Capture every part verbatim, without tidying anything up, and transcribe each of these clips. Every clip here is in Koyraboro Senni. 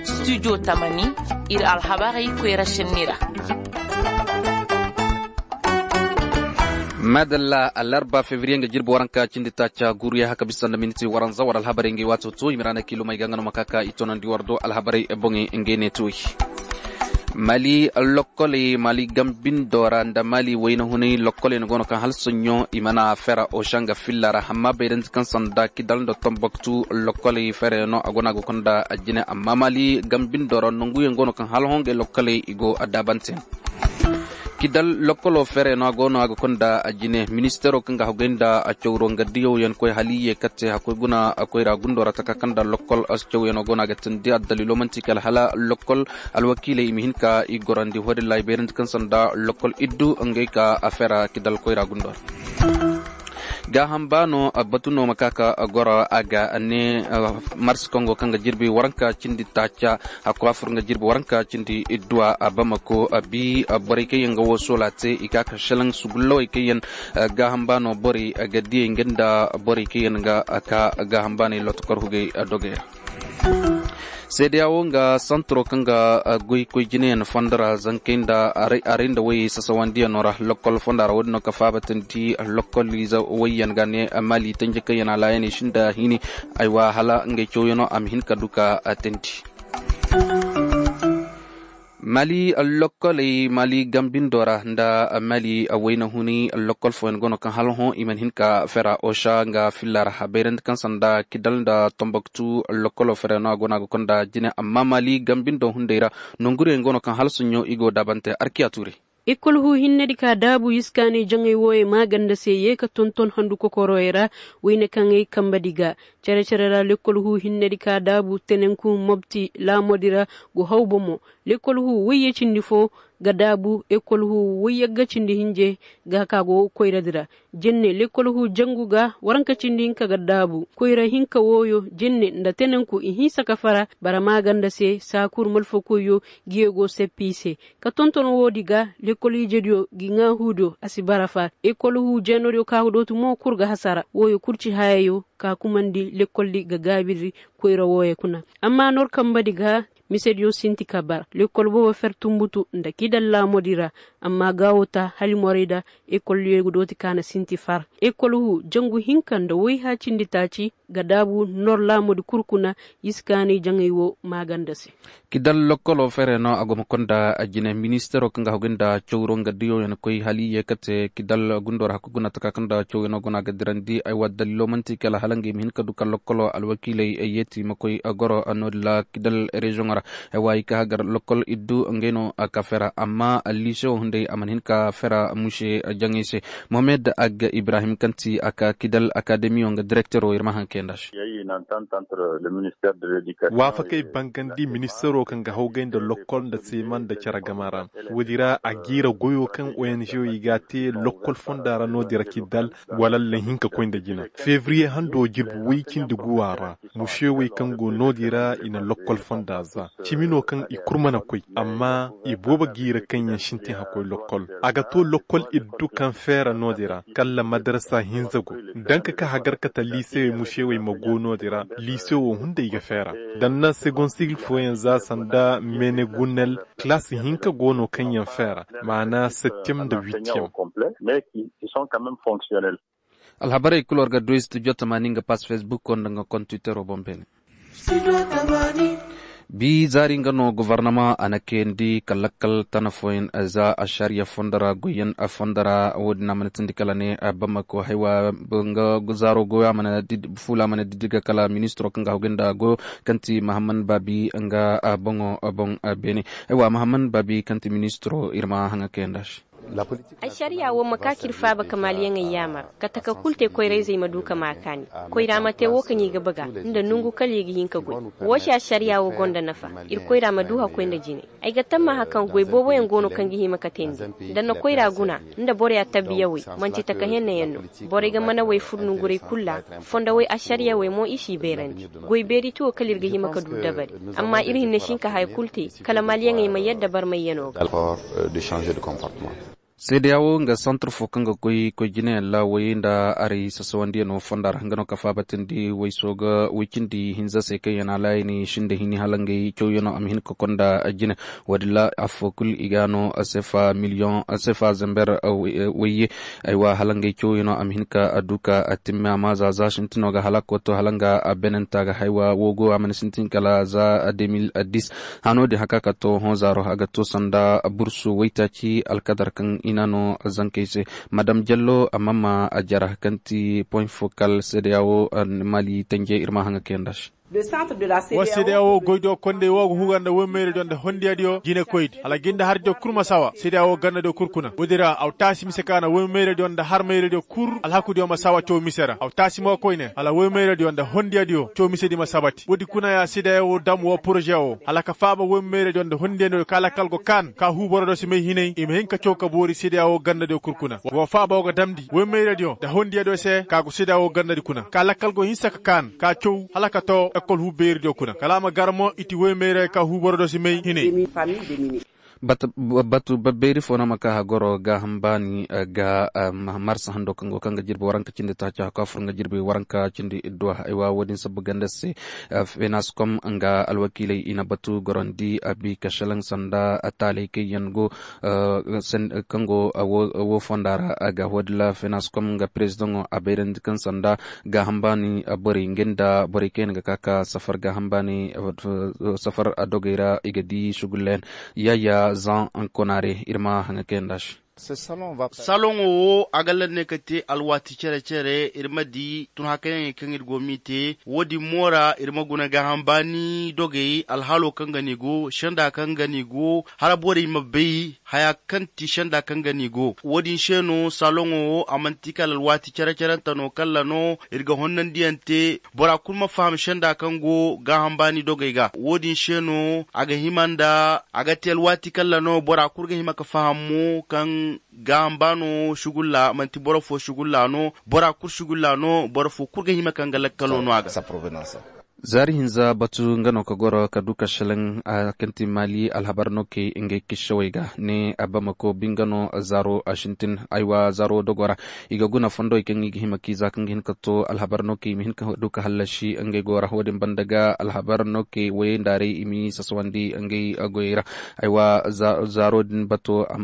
Studio tamani, ir alhabarey koyra senni ra. Madalla, alarba febriye nga jirbi waranka cindi taaca guruya haka bisa nda miniti waranza war alhabarey nga i waato to i ma ra na kiilumey ga nga no ma ka ka i tonandi war do alhabarey boŋey nga i ne tuuy. Mali lokkoley mali gambindo ra nda mali wayna hunay lokkoley no go no kaŋ hala soɲõ i mana fera oca nga filla ra amma bayrandi kaŋ sanda kidal nda tomboktu lokkoley fera yaŋ no a go no a ga konda a jine amma mali gambindo ra nanguyaŋ go no kaŋ hala hongey lokkoley i go a daabante. Kidal lokkolo fere no a go no a ga konda a jine ministero kaŋ ga hagay nda a cawro nga diyow yaŋ koy hali ye katte hakkoy guna a koyra gundo ra taka kaŋ da lokkol a si caw yaŋ a go no a ga tindi a dalilo manti kala hala lokkol alwakiiley i ma hin ka i gorandi hoodin ra i bayrandi kaŋ sanda lokkol iddu ngey ka a fera kidal koyra gundo ra. Gaaham baano batu no ma ka ka goro a ga ne mars kongo kaŋ ga jirbi waranka cindi taaca hakko a fur nga jirbi waranka cindi idduwa a bamako a bi borey kaŋ yaŋ ga wo soola te i ka ka shalaŋ sugullawey kaŋ yaŋ gaaham baano borey ga diyey nga nda borey kaŋ yaŋ ga ka gaaham baaney lotokor hugey dogey ra. Seedeya wo nga santoro kaŋ ga goy koy jinayaŋ fondo ra zankey nda aray nda wayey sasawandiyaŋo ra lokkol fonda ra wo-din no ka faabatandi lokkol ize wayyaŋ ga ne mali tanje kaŋ yaŋ a laayaney sinda hini. Aywa hala ngey cawyaŋo a ma hin ka du ka tandi. Mali lokkoley mali gambindo ra nda mali wayna huni lokkol fooyaŋ go no kaŋ hala hõ i mana hin ka fera osa nga filla ra a bayrandi kaŋ sanda kidal nda tomboktu lokkolo fere no a go no a ga konda jine amma mali gambindo hunday ra nonguriyaŋ go no kaŋ hala soɲõ i go daabante arkiya tuure. Ekol huu hinnedi ka daabu iskaanay jaŋay wooyey maaganda se yee ka tonton handu kokoroyey ra. Wayne kaŋ ay kambedi ga cere-cere ra lekol huu hinnedi ka daabu tenenku mobti laamodi ra go haw bomo. Lekol huu wayye cindi foo ga daabu ekol huu wayyagga cindi hinje ga ka go koyradi ra. Jenne lekol huu jangu ga waranka cindi hinka ga daabu koyra hinka wooyo jenne nda tenenku i hinsa ka fara bara maaganda se saakur malfakoyyo. Giyo go seppi i se ka tonton woodi ga lekol ijediyo gi ŋaa huudiyo a si bara faar ekol huu jeenodiyo ka ga dooti mo kul ga hasara wooyo kul ci hayayo ka kumandi lekoldi ga gaabiri. Koyra wooyo kuna amma nor kambadi ga misediyo sinti ka bara lekol boobo fer tumbutu nda kidal laamodi ra. Amma gaawo ta halimorey da ekoldiyo ga dooti ka na sinti far ekol huu jangu hinka nda wayha cindi taaci ga daabu nor laamudi kul kuna. Iskaanay jaŋay woo maaganda se. Kidal lokkolo fere no a go ma konda a jine ministero kaŋ ga hagu nda cawro nga diyoyaŋ koy hali ye kate kidal gundo ra hakku guna taka kaŋ da cawyaŋo guna ga dirandi aywa dalilo manti kala hala ngey ma hin ka du ka lokkolo alwakiiley yeeti ma koy goro noodin ra kidal reziyoŋo ra. Aywa i ka hagar lokkol iddu ngey no a ka fera amma liisewo hunday a mana hin ka fera muse jaŋay se. Mohamed ag ibrahim kaŋ ti a ka kidal akademiyo nga direktero ir ma haŋ kay nda se. Waafakey bangandi ministero kaŋ ga hawgay nda lokkol nda seeman nda cere gama ra. Woodi ra a jiira goyo kaŋ ong i ga a te lokkol fonda ra noodin ra kidal wala allahinka koy nda jina febriye hando jirbi way cindi guwa ra. Musewey kaŋ go noodin ra i na lokkol fonda za cimi no kaŋ i kul mana koy amma i boobo jiira kaŋ yaŋ sintin hakkoy lokkol. A ga to lokkol iddu kaŋ feera noodin ra kalla madarasa hinza go. Danka ka hagar kata liisewey musewey ma go noodin ra liisewo hunday ga feera. Da na segon sigil fooyaŋ za sanda menegunel kalaasi hinka go no kaŋ yaŋ feera maana septem nda witiyem. Alhabarey kul war ga du studio tamaani nga pas fesbukko nda nga kontwitero boŋ beene. Bi zaari nga no gofornama a na kayandi ka lakkal tana fooyaŋ za ašariya fondo ra goyyaŋ fondo ra wo-din a mana tindi kala ne bamako haywa nga zaaro goyo a mana fuula a mana diddi ga kala ministiro kaŋ ga hagu nda goyo kaŋ ti mahamman baabi nga boŋo boŋ beene. Haywa mahamman baabi kaŋ ti ministiro ir ma haŋa kayandi a se. Ašariya wo ma ka ka ir faaba ka maaliyaŋey yaamar ka taka kul te koyra-izey ma du ka maa kaani. Koyra ma te wo kaŋ i ga baga nda nongu kala i ga hin ka goy. Wo se ašariya wo gonda nafa. Ir koyra ma du hakkoy nda jine. Ay ga tammaaha kaŋ goy booboyaŋ go no kaŋ ga hima ka teendi. Da na koyra guna nda boroya tabbiyawey manti taka hennayaŋ no. Borey ga manawey fur nonguray kul ra. Fondowey ašariyawey mo i s'i beerandi. Goy beeri ti wo kala ir ga hima ka du dabari. Amma ir hinne si hin ka haya kul te kala maaliyaŋey ma yadda barmayyanoo ga. Seedeya wo nga santar fo kaŋ ga koy koy jinayaŋ laawey nda aray sasawandiyaŋo fonda ra nga no ka faabatandi way sooga way cindi hinza se kaŋ yaŋ a laayani sinda hini hala ngey cawyaŋo a ma hin ka konda jine. Wo- din ra affo kul i ga no sefa miliyoŋ sefa zamber wayye. Aywa hala ngey cawyaŋo a ma hin ka du ka timma amma za za sintino ga hala koto hala nga benanta ga haywa wo go a mana sintin kala za de mil dis. Hano din haka ka to hõ zaaro a ga to sanda bursu waytaaci alkadar kaŋ i na no zankey se. Madam jallo amma ma a jara kaŋ ti point focal seedeya wo mali tanje ir ma haŋa kayanda se. Wa seedeya wo goydo kondey wo ga huga nda woy mayradiyo nda hondiyadiyo jinekoydi hala ginda harjo kul ma sawa seedeya wo gannadiyo kul kuna wo- din ra aw taasi mise ka na woy mayradiyo nda har mayradiyo kul alhakudiyo ma sawa caw mise ra aw taasi mo koyne hala woy mayradiyo nda hondiyadiyo caw misedi ma sabati wo- din kuna ya seedeya wo dam wo poroze wo hala ka faaba woy mayradiyo nda hondiyadiyo ka lakkal go kaan ka huu borodiyo si may hinay i ma hin ka caw ka boori seedeya wo gannadiyo kul kuna wa faaba wo ga damndi woy mayradiyo nda hondiyadiyo se ka go seedeya wo gannadi kuna ka lakkal go hinsa ka kaan ka caw hala ka to ekol huu beeridiyo kuna kala a ma gar mo i ti woy mayray ka huu borodiyo si may hinay. Batu babbeeri fo no ma ka hagoro gaaham baani ga marsa hando kaŋ go kaŋ ga jirbi waranka cindi taaci haka fur nga jirbi waranka cindi idduwa aywa wo- din sabbu ganda se. Fenas kom nga alwakiiley i na batu gorondi abi ka selaŋ sanda taaley kaŋ yaŋ go kaŋ go wo fonda ra ga wo- din ra fenas kom nga perezidaŋo a bayrandi kaŋ sanda gaaham baani borey nga nda borey kaŋ yaŋ ga ka ka safar gaaham baani safar dogey ra i ga di sugullayaŋ. Yaya zan konaare ir ma haŋa kayanda se. Saloŋo wo a ga lanney ka te alwaati cere-cere ir ma di tun hakayaŋey kaŋ ir go m'i te wo- din mo ra ir ma guna gaaham baani dogey alhalo kaŋ ga ni go senda kaŋ ga ni go hala borey ma bay haya kaŋ ti senda kaŋ ga ni go wo- din se no saloŋo wo a manti kala alwaati cere-cerente no kalla no ir ga honnandiyaŋ te bora kulu ma faham senda kaŋ go gaaham baani dogey ga wo- din se no a ga hima nda a ga te alwaati kalla no bora kulu ga hima ka faham mo kaŋ gaaham baano sugulla manti boro fo sugulla no bora kulu sugulla no boro fo kulu ga hima kaŋ ga lakkalo no a ga. Zaari hinza batu nga no ka goro ka du ka selaŋ a kaŋ ti maali alhabar no kay ngey kissawey ga ne a bamako bi nga no zaaro a sintin aywa zaaro dogo ra i ga guna fondowey kaŋ i ga hima k'i za kaŋ ga hin ka to alhabar no kay i ma hin ka du ka hallasi ngey go ra wo- din banda ga alhabar no kay wayey nda rey i m'i sasawandi ngey goyey ra. Aywa zaaro din bato a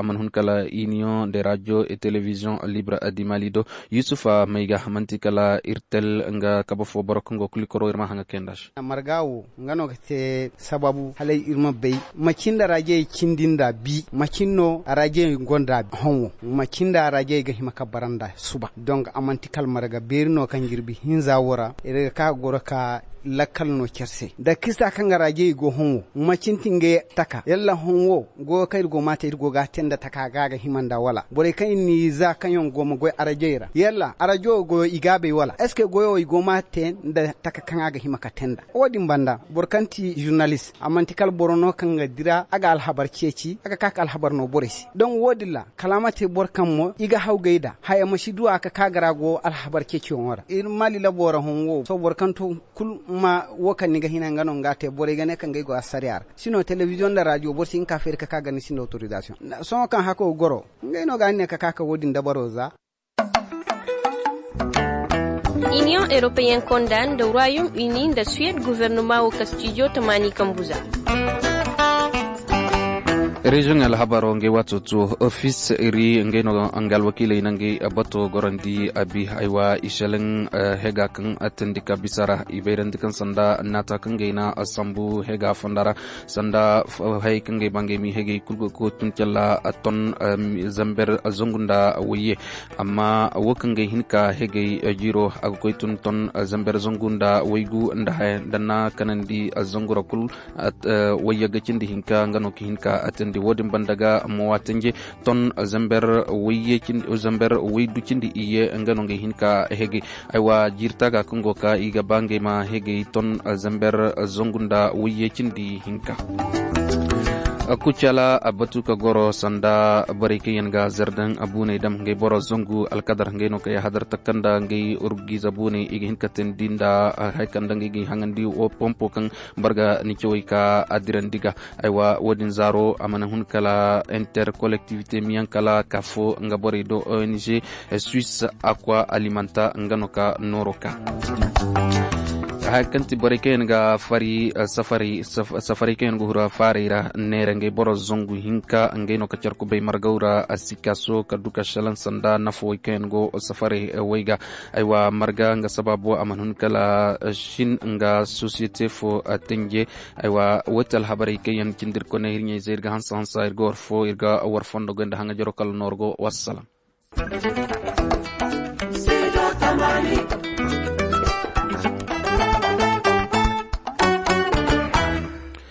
mana hun kala iniyoŋ de rajo e telebiziyoŋ libra di mali do. Yusufa may ga manti kala ir tel nga kabe fo boro kaŋ go kulikoro ir ma haŋa kayanda se. Marga wo nga no ga te sababu hala ir ma bay macin da rajey cindi nda bi macin no rajey gonda honwo macin da rajey ga hima ka bara nda suba donk a manti kala marga beeri no kaŋ jirbi hinza wo ra ir ga ka goro ka lakkal no care se da kista kaŋ ga rajey go honwo macin ti ngey taka yalla honwo goyo kaŋ ir go ma te ir go ga a te nda taka ga a ga hima nda wala borey kaŋ ir n'i za kaŋ yaŋ go ma goy arajey ra yalla arajo goyo i gaabey wala est ce que goyo i go ma te nda taka kaŋ a ga hima ka te nda wo- din banda boro kaŋ ti žurnalist a manti kala boro no kaŋ ga dira a ga alhabar ceeci a ga ka ka alhabar no borey se donk wo- din ra kala a ma te boro kaŋ mo i ga hawgay nda haya ma si du a ka ka ga ra go alhabar ceeciyaŋo ra ir mali labo ra hõ wo sohõ boro kaŋ to kul ma wo kaŋ ni ga hina nga no nga te borey ga ne kaŋ ga ay go assariya ra sino telebiziyoŋ nda rajo boro si hin ka feeri ka ka ga ni sinda autorisation sohõ kaŋ hako goro ngey no ga ni ne ka ka ka wo- din dabaro za. Iniyoŋ europeyen konda nda royaume uni nda suwed guvernoma wo kastijo tamaani kambu za. Reziyoŋ alhabaro ngey waato tuwo ofis iri ngey no nga alwakiiley na ngey bato gorandi abi haywa ishelin hega kaŋ atandi ka bisa ra i bayrandi kaŋ sanda naata kaŋ ngey na sambu hega fonda ra sanda hayey kaŋ ngey ba ngey mi hegey kul go ko tun calla ton zamber zangu nda wayye. Amma wo kaŋ ga hin ka hegey jiiro a ga koy tun ton zamber zangu nda waygu nda haya nda na kanandi zangu ra kul. Wayye ga cindi hinka nga no ka hin ka atandi wo- din banda ga mawa tanje ton zamber wayye zamber waydu cindi iyye nga no ga hin ka hegey. Aywa jiiri taaga kaŋ go ka i ga ba ngey ma hegey ton zamber zangu nda wayye cindi hinka. Kucala a batu ka goro sanda borey kaŋ yaŋ ga zardan buuney dam ngey boro zangu alkadar ngey no ka yahadar takanda ngey urgiza buuney i ga hin ka teendi nda haya kaŋ nda ngey ga i haŋandi pompo kaŋ barga ni cawey ka adirandi ga. Aywa wo-din zaaro a mana hun kala interkollektivite miyaŋ kala ka fo nga borey do ong suis, akwa alimanta nga no ka nooro ka haya kaŋ ti borey kaŋ yaŋ ga fari safarey kaŋ yaŋ ga hura faarey ra neera ngey boro zangu hinka ngey no ka care kubay margaw ra a si kaaso ka du ka šelaŋ sanda nafawey kaŋ yaŋ go safarey wey ga. Aywa marga nga sabaabu a mana hun kala šin nga sosiyete fo tenje. Aywa wati alhabarey kaŋ yaŋ cindi ir koney ir ɲayzey ir ga hansa hansa ir ga war fo ir ga war fondo goy nda haŋajaro kala nooro go. Wassalam.